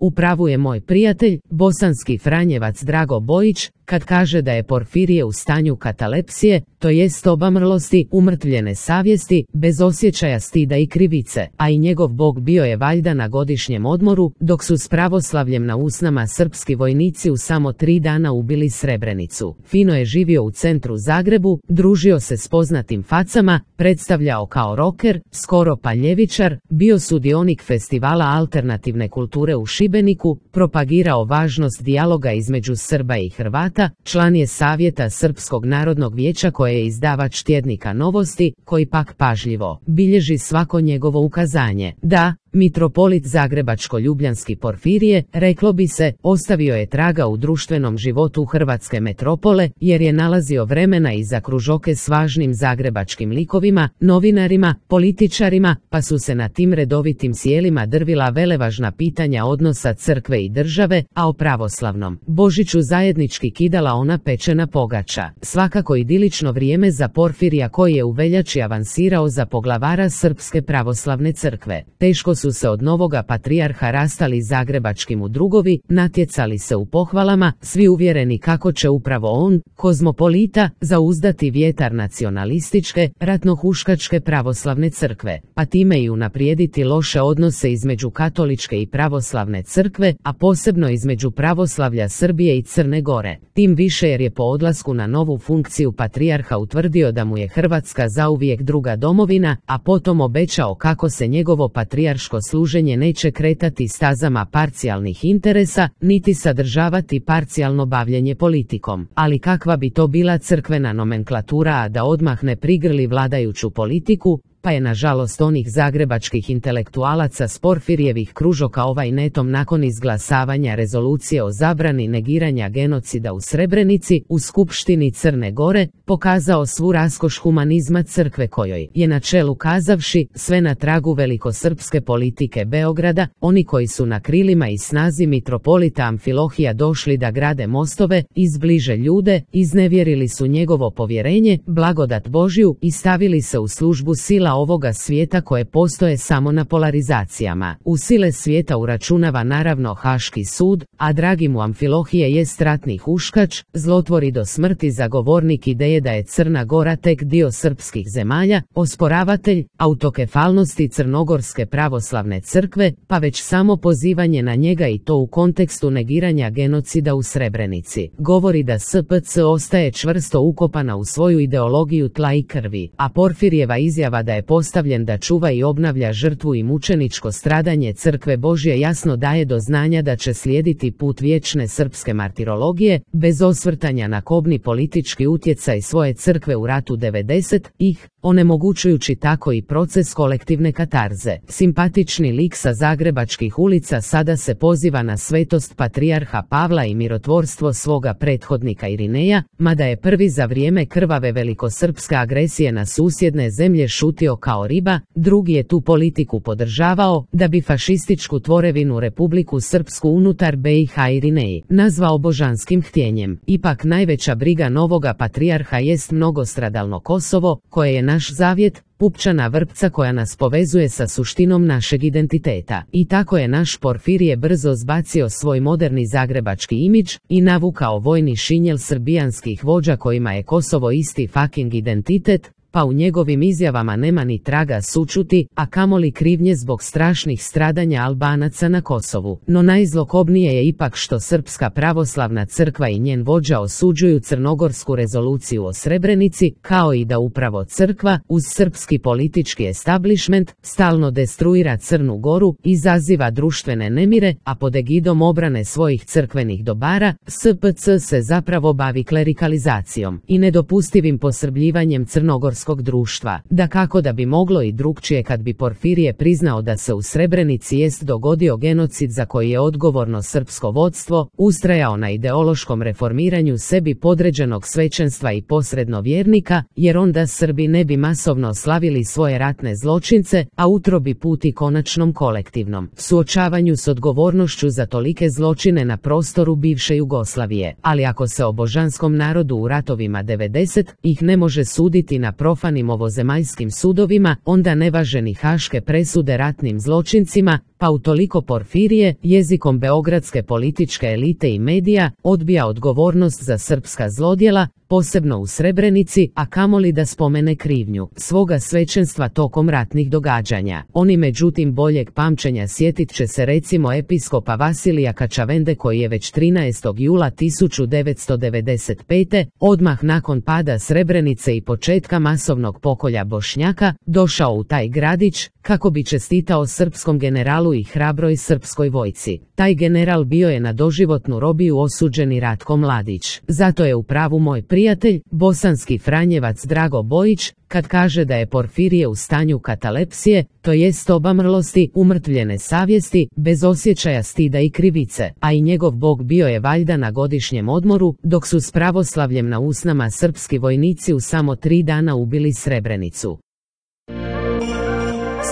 U pravu je moj prijatelj, bosanski Franjevac Drago Bojić, kad kaže da je Porfirije u stanju katalepsije, to jest obamrlosti, umrtvljene savjesti, bez osjećaja stida i krivice, a i njegov bog bio je valjda na godišnjem odmoru, dok su s pravoslavljem na usnama srpski vojnici u samo 3 dana ubili Srebrenicu. Fino je živio u centru Zagrebu, družio se s poznatim facama, predstavljao kao roker, skoro pa ljevičar, bio sudionik festivala alternativne kulture u Šibeniku, propagirao važnost dijaloga između Srba i Hrvata, član je Savjeta Srpskog narodnog vijeća koje je izdavač tjednika Novosti, koji pak pažljivo bilježi svako njegovo ukazanje. Da, mitropolit zagrebačko-ljubljanski Porfirije, reklo bi se, ostavio je traga u društvenom životu hrvatske metropole, jer je nalazio vremena i za kružoke s važnim zagrebačkim likovima, novinarima, političarima, pa su se na tim redovitim sjelima drvila velevažna pitanja odnosa crkve i države, a o pravoslavnom Božiću zajednički kidala ona pečena pogača. Svakako idilično vrijeme za Porfirija koji je u veljači avansirao za poglavara Srpske pravoslavne crkve. Teško su se od novoga patrijarha rastali zagrebački mudrugovi, natjecali se u pohvalama, svi uvjereni kako će upravo on, kozmopolita, zauzdati vjetar nacionalističke, ratnohuškačke pravoslavne crkve, pa time i unaprijediti loše odnose između katoličke i pravoslavne crkve, a posebno između pravoslavlja Srbije i Crne Gore. Tim više jer je po odlasku na novu funkciju patrijarha utvrdio da mu je Hrvatska zauvijek druga domovina, a potom obećao kako se njegovo patrijarško služenje neće kretati stazama parcijalnih interesa, niti sadržavati parcijalno bavljenje politikom. Ali kakva bi to bila crkvena nomenklatura, a da odmah ne prigrli vladajuću politiku, pa je nažalost onih zagrebačkih intelektualaca s Porfirijevih kružoka ovaj netom nakon izglasavanja rezolucije o zabrani negiranja genocida u Srebrenici u Skupštini Crne Gore pokazao svu raskoš humanizma crkve kojoj je na čelu kazavši sve na tragu velikosrpske politike Beograda, oni koji su na krilima i snazi mitropolita Amfilohija došli da grade mostove, izbliže ljude, iznevjerili su njegovo povjerenje, blagodat Božju i stavili se u službu sila ovoga svijeta koje postoje samo na polarizacijama. U sile svijeta uračunava naravno Haški sud, a dragi mu Amfilohije jest ratni huškač, zlotvori do smrti zagovornik ideje da je Crna Gora tek dio srpskih zemalja, osporavatelj autokefalnosti Crnogorske pravoslavne crkve, pa već samo pozivanje na njega i to u kontekstu negiranja genocida u Srebrenici govori da SPC ostaje čvrsto ukopana u svoju ideologiju tla i krvi, a Porfirijeva izjava da je postavljen da čuva i obnavlja žrtvu i mučeničko stradanje Crkve Božje jasno daje do znanja da će slijediti put vječne srpske martirologije, bez osvrtanja na kobni politički utjecaj svoje crkve u ratu 90-ih, onemogućujući tako i proces kolektivne katarze. Simpatični lik sa zagrebačkih ulica sada se poziva na svetost patrijarha Pavla i mirotvorstvo svoga prethodnika Irineja, mada je prvi za vrijeme krvave velikosrpske agresije na susjedne zemlje šutio kao riba, drugi je tu politiku podržavao, da bi fašističku tvorevinu Republiku Srpsku unutar BiH Irineji nazvao božanskim htjenjem. Ipak najveća briga novoga patrijarha jest mnogostradalno Kosovo, koje je naš zavjet, pupčana vrpca koja nas povezuje sa suštinom našeg identiteta. I tako je naš Porfirije brzo zbacio svoj moderni zagrebački imidž i navukao vojni šinjel srbijanskih vođa kojima je Kosovo isti fucking identitet, pa u njegovim izjavama nema ni traga sućuti, a kamoli krivnje zbog strašnih stradanja Albanaca na Kosovu. No najzlokobnije je ipak što Srpska pravoslavna crkva i njen vođa osuđuju crnogorsku rezoluciju o Srebrenici, kao i da upravo crkva, uz srpski politički establishment, stalno destruira Crnu Goru, izaziva društvene nemire, a pod egidom obrane svojih crkvenih dobara, SPC se zapravo bavi klerikalizacijom i nedopustivim posrbljivanjem crnogorskog društva. Dakako da bi moglo i drukčije kad bi Porfirije priznao da se u Srebrenici jest dogodio genocid za koji je odgovorno srpsko vodstvo, ustrajao na ideološkom reformiranju sebi podređenog svećenstva i posredno vjernika, jer onda Srbi ne bi masovno slavili svoje ratne zločince, a utrobi puti konačnom kolektivnom suočavanju s odgovornošću za tolike zločine na prostoru bivše Jugoslavije. Ali ako se o božanskom narodu u ratovima 90 ih ne može suditi na profanim ovozemaljskim sudovima, onda nevaženi haške presude ratnim zločincima, pa utoliko Porfirije, jezikom beogradske političke elite i medija, odbija odgovornost za srpska zlodjela, posebno u Srebrenici, a kamoli da spomene krivnju svoga svećenstva tokom ratnih događanja. Oni međutim boljeg pamćenja sjetit će se recimo episkopa Vasilija Kačavende koji je već 13. jula 1995. odmah nakon pada Srebrenice i početka masovnog pokolja Bošnjaka, došao u taj gradić, kako bi čestitao srpskom generalu i hrabroj srpskoj vojci. Taj general bio je na doživotnu robiju osuđeni Ratko Mladić. Zato je u pravu moj prijatelj, bosanski franjevac Drago Bojić, kad kaže da je Porfirije u stanju katalepsije, to jest obamrlosti, umrtvljene savjesti, bez osjećaja stida i krivice, a i njegov bog bio je valjda na godišnjem odmoru, dok su s pravoslavljem na usnama srpski vojnici u samo 3 dana ubili Srebrenicu.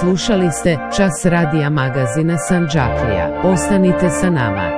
Slušali ste Čas radija magazina Sandžaklija. Ostanite sa nama.